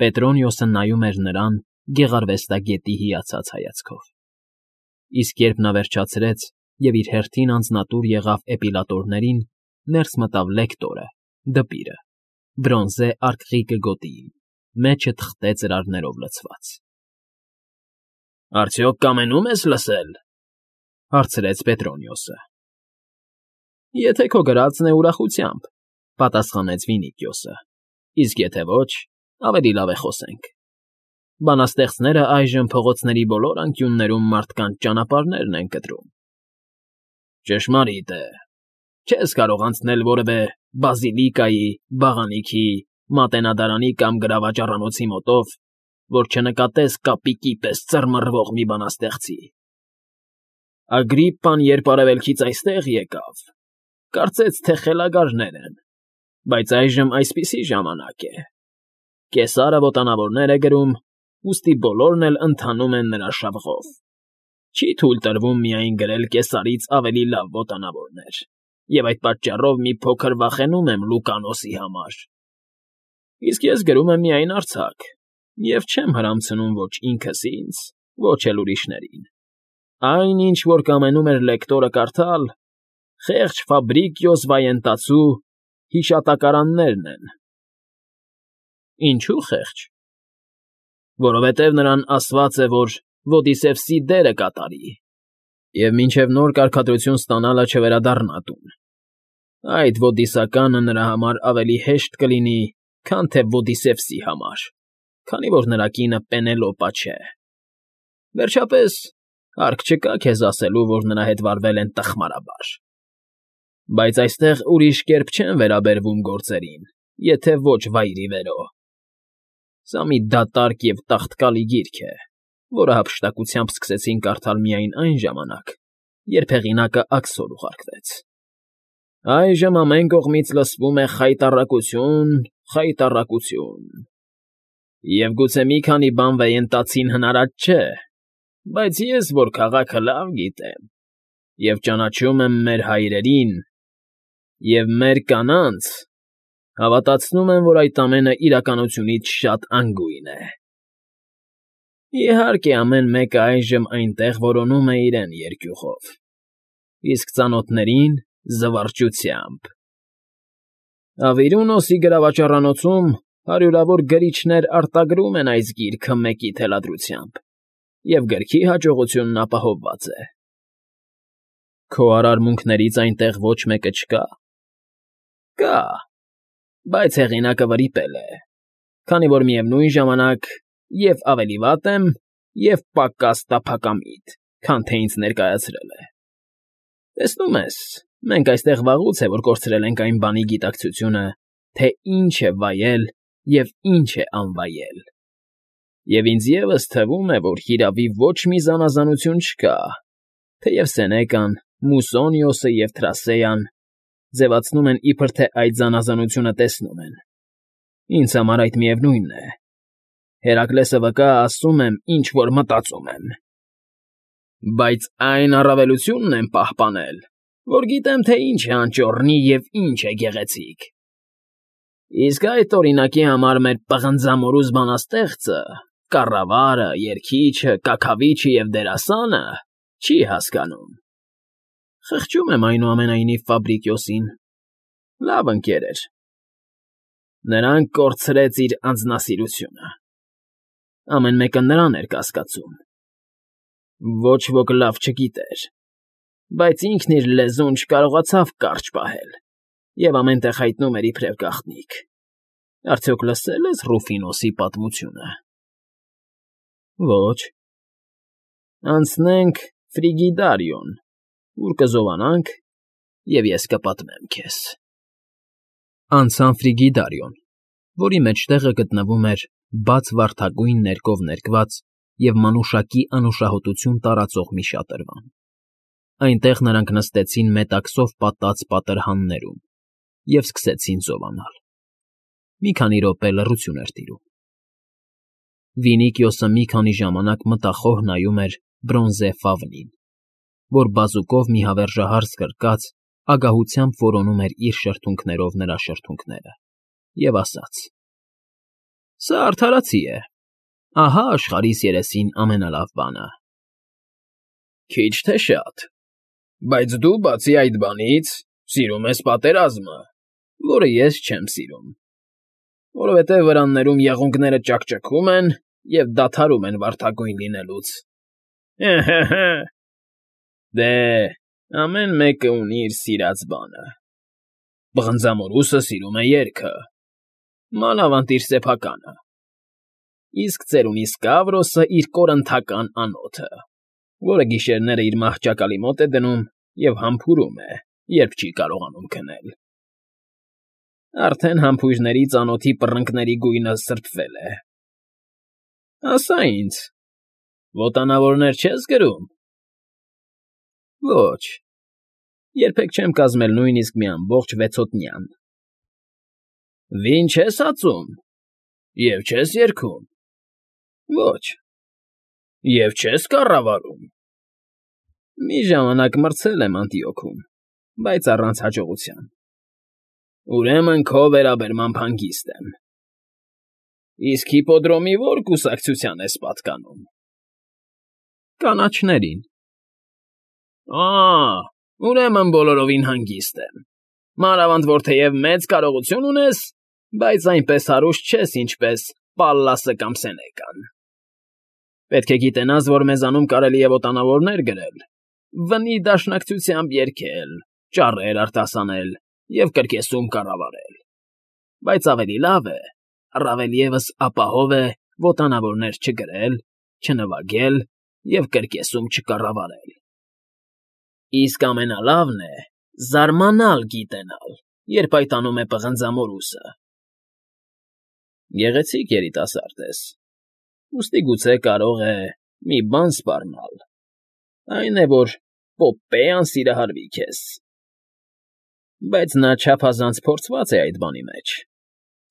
Պետրոնիոսը նայում էր նրան գեղարվեստագետի հիացած հայացքով։ Իսկ երբ նա վերջացրեց և իր հերթին անձնատուր եղավ էպիլատորներին, ներս մտավ լեկտորը, դպիրը, բրոնզե արկղիկը գոտիին, մեջը թղթե ծրարներով լցված։ ֊ Արդյոք կամենում ես լսել,֊ հարցրեց Պետրոնիոսը։ ֊ Եթե քո գրածն է ուրախությամբ,֊ պատասխանեց Վինիքիոսը,֊ իսկ եթե ոչ, ավելի լավ է խոսենք։ Բանաստեղծները այժմ փողոցների բոլոր անկյուններում մարդկանց ճանապարհներն են կտրում։ ֊ Ճշմարիտ է, չես կարող անցնել որևէ բազիլիկայի, բաղանիքի, մատենադարանի կամ գրավաճառանոցի մոտով, որ չնկատես կապիկի պես ծռմռվող մի բանաստեղծի։ Ագրիպպան, երբ արևելքից այստեղ եկավ, կարծեց, թե խելագարներ են, բայց այժմ այսպիսի ժամանակ է. Կեսարը ոտանավորներ է գրում, ուստի բոլորն էլ ընթանում են նրա շավղով։ Չի թույլ տրվում միայն գրել կեսարից ավելի լավ ոտանավորներ, և այդ պատճառով մի փոքր վախենում եմ Լուկանոսի համար։ Իսկ ես գրում եմ միայն արձակ և չեմ հրամցնում ոչ ինքս ինձ, ոչ էլ ուրիշներին։ Այն, ինչ որ կամենում էր լեկտորը կարդալ, խեղճ Ֆաբրիկիոս վայենտացու հիշատակարաններն են։ ֊ Ինչու՞ խեղճ։ ֊ Որովհետև նրան ասված է, որ Ոդիսևսի դերը կատարի, և մինչև նոր կարգադրություն ստանալը չվերադառնա տուն։ Այդ ոդիսականը նրա համար ավելի հեշտ կլինի, քան թե Ոդիսևսի համար, քանի որ նրա կինը Պենելոպա չէ։ Վերջապես, հարկ չկա քեզ ասելու, որ նրա հետ վարվել են տխմարաբար։ Բայց այստեղ ուրիշ կերպ չեն վերաբերվում գործերին, եթե ոչ վայրիվերո։ Սա մի դատարկ և տաղտկալի գիրք է, որը հափշտակությամբ սկսեցին կարդալ միայն այն ժամանակ, երբ հեղինակը աքսոր ուղարկվեց։ Այժմ ամեն կողմից լսվում է խայտառակություն, խայտառակություն… Եվ գուցե մի քանի բան վեյենտացին հնարած չէ, բայց ես, որ քաղաքը լավ գիտեմ և ճանաչում եմ մեր հայրերին և մեր կանանց, հավատացնում եմ, որ այդ ամենը իրականությունից շատ անգույն է։ Իհարկե, ամեն մեկը այժմ այնտեղ որոնում է իրեն երկյուղով, իսկ ծանոթներին՝ զվարճությամբ։ Ավիրունոսի գրավաճառանոցում հարյուրավոր գրիչներ արտագրում են այս գիրքը մեկի թելադրությամբ, և գրքի հաջողությունն ապահովված է։ Քո արարմունքներից այնտեղ ոչ մեկը չկա։ Կա, բայց հեղինակը վրիպել է, քանի որ միևնույն ժամանակ և ավելի վատ եմ, և պակաս տափակամիտ, քան թե ինձ ներկայացրել է։ Տեսնում ես, մենք այստեղ վաղուց է, որ կորցրել ենք այն բանի գիտակցությունը, թե ինչ է վայել և ինչ է անվայել։ Եվ ինձ ևս թվում է, որ հիրավի ոչ մի զանազանություն չկա, թեև Սենեկան, Մուսոնիոսը և Թրասեան ձևացնում են, իբր թե այդ զանազանությունը տեսնում են։ Ինձ համար այդ միևնույնն է։ Հերակլեսը վկա, ասում եմ, ինչ որ մտածում եմ։ Բայց այն առավելությունն եմ պահպանել, որ գիտեմ, թե ինչ է անճոռնի և ինչ է գեղեցիկ։ Իսկ այդ օրինակի համար մեր պղնձամորուզ բանաստեղծը, կառավարը, երգիչը, կաքավիչը և դերասանը չի հասկանում։ Խղճում եմ այնուամենայնիվ Ֆաբրիկիոսին. լավ ընկեր էր։ Նրան կորցրեց իր անձնասիրությունը։ Ամեն մեկը նրան էր կասկածում։ Ոչ ոք լավ չգիտեր, բայց ինքն իր լեզուն չկարողացավ կարճ պահել և ամեն տեղ հայտնում էր իբրև գաղտնիք։ Արդյոք լսել ես Ռուֆինոսի պատմությունը։ Ոչ։ Անցնենք Ֆրիգիդարիոն, ուր կզովանանք, և ես կպատմեմ քեզ։ Անցան Ֆրիգիդարիոն, որի մեջտեղը գտնվում էր բաց վարդագույն ներկով ներկված և մանուշակի անուշահոտություն տարածող մի շատրվան։ Այնտեղ նրանք նստեցին մետաքսով պատած պատրհաններում և սկսեցին զովանալ։ Մի քանի րոպե լռություն էր տիրում։ Վինիքիոսը մի քանի ժամանակ մտախոհ նայում էր բրոնզե ֆավնին, որ բազուկով մի հավերժահարց կրկած ագահությամբ որոնում էր իր շրթունքներով նրա շրթունքները, և ասաց. Սա արդարացի է։ Ահա աշխարհիս երեսին ամենալավ բանը։ Քիչ թե շատ։ Բայց դու բացի այդ բանից սիրում ես պատերազմը, որը ես չեմ սիրում, որովհետև վրաններում եղունգները ճաքճքում են և դադարում են վարդագույն լինելուց։ Հե՛։ Դե, ամեն մեկը ունի իր սիրած բանը։ Պղնձամորուսը սիրում է երգը, մանավանդ իր սեփականը, իսկ ծերունի Սկավրոսը իր կորնթական անոթը, որը գիշերները իր մահճակալի մոտ է դնում և համբուրում է, երբ չի կարողանում քնել։ Արդեն համբույրների ծանոթի պռնկների գույնը սրբվել է։ Ասա ինձ, ոտանավորներ չես գրում։ Ոչ, երբեք չեմ կազմել նույնիսկ մի ամբողջ վեցոտնյան։ Վին չես ածում, և չես երգում։ Ոչ, և չես կառավարում։ Մի ժամանակ մրցել եմ Անտիոքում, բայց առանց հաջողության։ Ուրեմն քո վերաբերմամբ հանգիստ եմ։ Իսկ հիպոդրոմի ո՞ր կուսակցության ես պատկանում։ Կանաչներին։ Ուրեմն բոլորովին հանգիստ եմ, մանավանդ որ թեև մեծ կարողություն ունես, բայց այնպես հարուստ չես, ինչպես Պալլասը կամ Սենեկան։ Պետք է գիտենաս, որ մեզանում կարելի է ոտանավորներ գրել, վնի դաշնակցությամբ երգել, ճառեր արտասանել և կրկեսում կառավարել, բայց ավելի լավ է, առավել ևս ապահով է ոտանավորներ չգրել, չնվագել և կրկեսում չկառավարել։ Իսկ ամենալավն է զարմանալ գիտենալ, երբ այդ անում է պղնձամորուսը։ Գեղեցիկ երիտասարդ ես, ուստի գուցե կարող է մի բան սպառնալ, այն է, որ Պոպպեան սիրահարվի քեզ։ Բայց նա չափազանց փորձված է այդ բանի մեջ,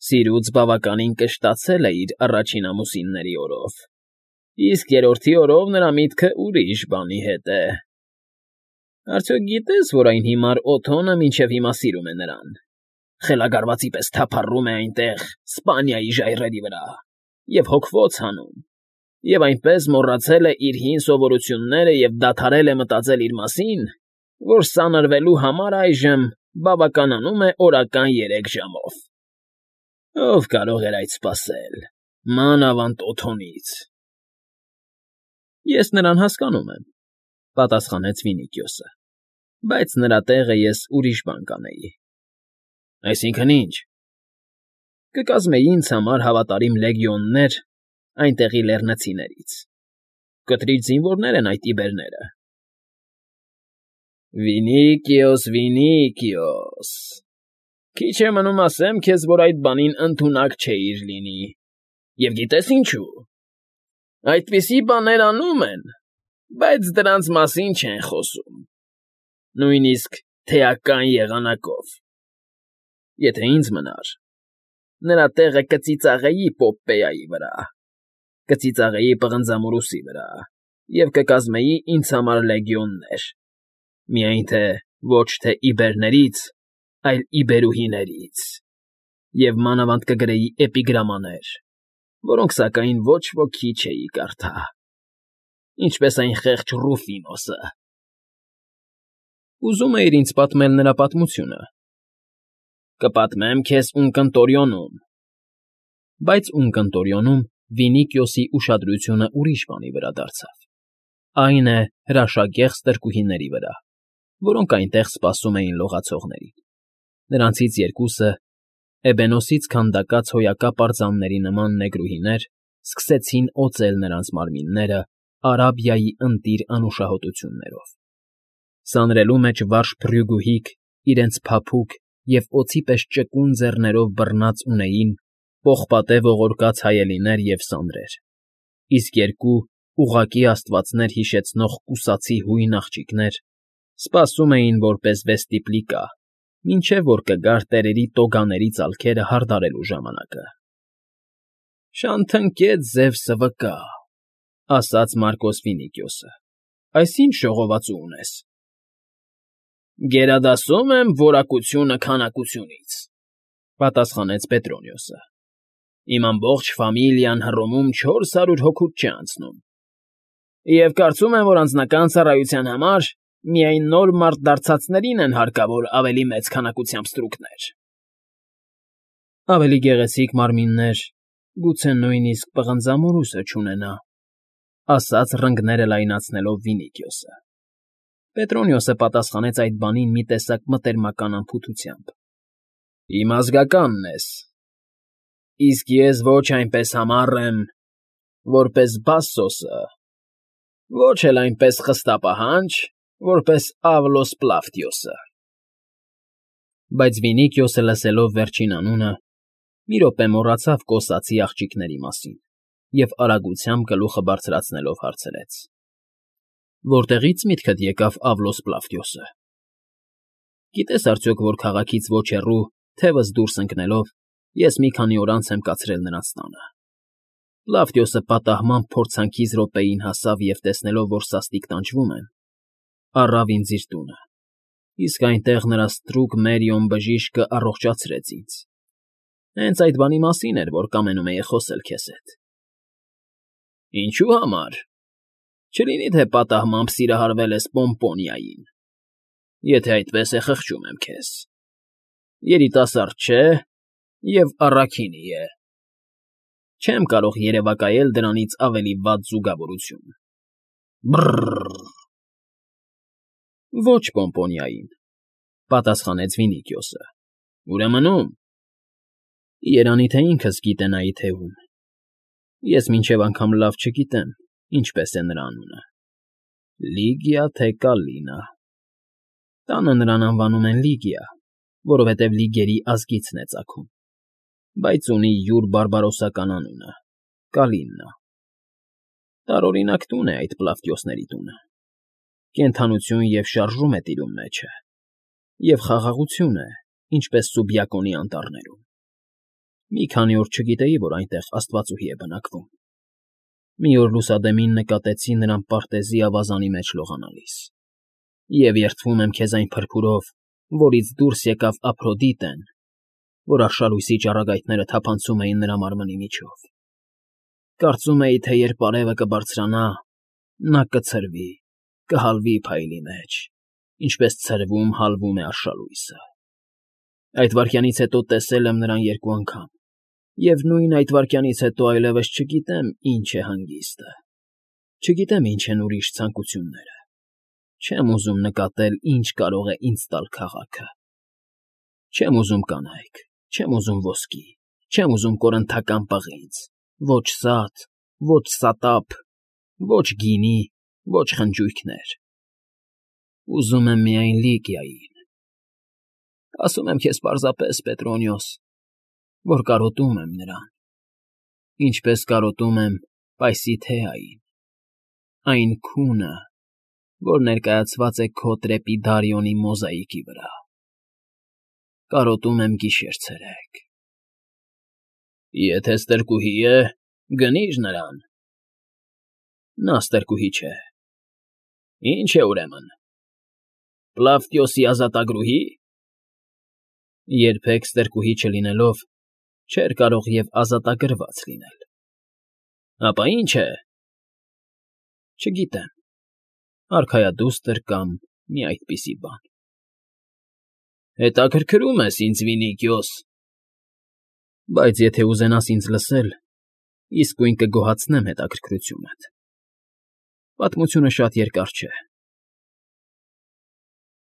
սիրուց բավականին կշտացել է իր առաջին ամուսինների օրով, իսկ երրորդի օրով նրա միտքը ուրիշ բանի հետ է։ Արդյոք գիտես, որ այն հիմար Օթոնը մինչև հիմա սիրում է նրան, խելագարվածի պես թափառում է այնտեղ Սպանիայի ժայռերի վրա և հոգվոց հանում, և այնպես մոռացել է իր հին սովորությունները և դադարել է մտածել իր մասին, որ սանրվելու համար այժմ բավականանում է օրական 3 ժամով։ Ով կարող էր այդ սպասել, մանավանդ Օթոնից։ Ես նրան հասկանում եմ, պատասխանեց Վինիքիոսը, բայց նրա տեղը ես ուրիշ բան կանեի։ Այսինքն ի՞նչ։ Կկազմեի ինձ համար հավատարիմ լեգիոններ այնտեղի լեռնցիներից։ Կտրիչ զինվորներ են այդ իբերները։ Վինիքիոս, քիչ է մնում ասեմ քեզ, որ այդ բանին ընդունակ չէիր լինի, և գիտես ինչու։ Այդպիսի բաներ անում են, բայց դրանց մասին չեն խոսում, նույնիսկ թեական եղանակով։ Եթե ինձ մնար, նրա տեղը կծիծաղեի Պոպպեայի վրա, կծիծաղեի պղնձամորուսի վրա և կկազմեի ինձ համար լեգիոններ, միայն թե ոչ թե իբերներից, այլ իբերուհիներից, և մանավանդ կգրեի էպիգրամաներ, որոնք սակայն ոչ ոքի չէի կարդա, ինչպես այն խեղճ Ռուֆինոսը։ Ուզում էիր ինձ պատմել նրա պատմությունը։ Կպատմեմ քեզ Ունկնտորիոնում։ Բայց Ունկնտորիոնում Վինիքիոսի ուշադրությունը ուրիշ բանի վրա դարձավ։ Այն է հրաշագեղ ստրկուհիների վրա, որոնք այնտեղ սպասում էին լողացողներին։ Նրանցից երկուսը, էբենոսից քանդակած հոյակապ արձանների նման նեգրուհիներ, սկսեցին օծել նրանց մարմինները Արաբիայի ընտիր անուշահոտություններով։ Սանրելու մեջ վարժ փրյուգուհիկ իրենց փափուկ և օձի պես ճկուն ձեռներով բռնած ունեին պողպատե ողորկած հայելիներ և սանրեր, իսկ երկու ուղղակի աստվածներ հիշեցնող կուսացի հույն աղջիկներ սպասում էին որպես վեստիպլիկա, մինչև որ կգար տերերի տոգաների ծալքերը հարդարելու ժամանակը։ Շանթնկետ Զևսը վկա, ասաց Մարկոս Վինիքիոսը, այս ի՞նչ ժողովածու ունես։ Գերադասում եմ որակությունը քանակությունից, պատասխանեց Պետրոնիոսը։ Իմ ամբողջ ֆամիլիան Հռոմում 400 հոգուց չի անցնում։ Եվ կարծում եմ, որ անձնական ծառայության համար միայն նոր մարդ դարձածներին են հարկավոր ավելի մեծ քանակությամբ ստրուկներ։ Ավելի գեղեցիկ մարմիններ, գուցե նույնիսկ պղնձամորուսը չունենա, ասաց ռնգները լայնացնելով Վինիքիոսը։ Պետրոնիոսը պատասխանեց այդ բանին մի տեսակ մտերմական անփութությամբ։ Իմ ազգականն ես, իսկ ես ոչ այնպես համառ եմ, որպես Բասսոսը, ոչ էլ այնպես խստապահանջ, որպես Ավլոս Պլավտիոսը։ Բայց Վինիքիոսը լսելով վերջին անունը, մի րոպե մոռացավ կոսացի աղջիկների մասին և արագությամբ գլուխը բարձրացնելով հարցրեց. Որտեղի՞ց միտքդ եկավ Ավլոս Պլավտիոսը։ Գիտես արդյոք, որ քաղաքից ոչ հեռու, թևս դուրս ընկնելով, ես մի քանի օր անց եմ կացրել նրանց տանը։ Պլավտիոսը պատահմամբ փորձանքից րոպեին հասավ և տեսնելով, որ սաստիկ տանջվում եմ, առավ ինձ իր տունը, իսկ այնտեղ նրա ստրուկ Մերիոն բժիշկը առողջացրեց ինձ։ Հենց այդ բանի մասին էր, որ կամենում էի խոսել քեզ հետ։ Ինչու համար։ Չլինի թե պատահմամբ սիրահարվել ես Պոմպոնիային։ Եթե այդպես է, խղճում եմ քեզ։ Երիտասարդ չէ և առաքինի է։ Չեմ կարող երևակայել դրանից ավելի վատ զուգավորություն։ Բռռռ։ Ոչ Պոմպոնիային, պատասխանեց Վինիքիոսը։ Ուրեմն ում։ Երանի թե ինքս գիտենայի թե ում։ Ես մինչև անգամ լավ չգիտեմ, ինչպես է նրա անունը։ Լիգիա թե Կալինա։ Տանը նրան անվանում են Լիգիա, որովհետև լիգերի ազգիցն է ծագում, բայց ունի յուր բարբարոսական անունը՝ Կալիննա։ Տարօրինակ տուն է այդ Պլավտիոսների տունը։ Կենդանություն և շարժում է տիրում մեջը, և խաղաղություն է, ինչպես Սուբյակոնի անտառներում։ Մի քանի օր չգիտեի, որ այնտեղ աստվածուհի է բնակվում։ Մի օր լուսադեմին նկատեցի նրան պարտեզի ավազանի մեջ լողանալիս։ Եվ երդվում եմ քեզ այն փրփուրով, որից դուրս եկավ Ափրոդիտեն, որ արշալույսի ճառագայթները թափանցում էին նրա մարմնի միջով։ Կարծում էի, թե երբ արևը կբարձրանա, նա կցրվի, կհալվի փայլի մեջ, ինչպես ցրվում, հալվում է արշալույսը։ Այդ վայրկյանից հետո տեսել եմ նրան երկու անգամ, և նույն այդ վայրկյանից հետո այլևս չգիտեմ ինչ է հանգիստը, չգիտեմ ինչ են ուրիշ ցանկությունները, չեմ ուզում նկատել ինչ կարող է ինձ տալ քաղաքը։ Չեմ ուզում կանայք, չեմ ուզում ոսկի, չեմ ուզում կորնթական պղինձ, ոչ սատ, ոչ սատապ, ոչ գինի, ոչ խնջույքներ։ Ուզում եմ միայն Լիգիային։ Ասում եմ քեզ պարզապես, Պետրոնիոս, որ կարոտում եմ նրան, ինչպես կարոտում եմ Պայսիթեային, այն քունը, որ ներկայացված է քո Տրեպիդարիոնի մոզաիկի վրա։ Կարոտում եմ գիշեր֊ցերեկ։ Եթե ստրկուհի է, գնի՛ր նրան։ Նա ստրկուհի չէ։ Ինչ է ուրեմն։ Պլավտիոսի ազատագրուհի։ Երբեք ստրկուհի չլինելով, չէր կարող և ազատագրված լինել։ Ապա ի՞նչ է։ Չգիտեմ, արքայադուստր կամ մի այդպիսի բան։ Հետաքրքրում ես ինձ, Վինիքիոս։ Բայց եթե ուզենաս ինձ լսել, իսկույն կգոհացնեմ հետաքրքրությունդ։ Պատմությունը շատ երկար չէ։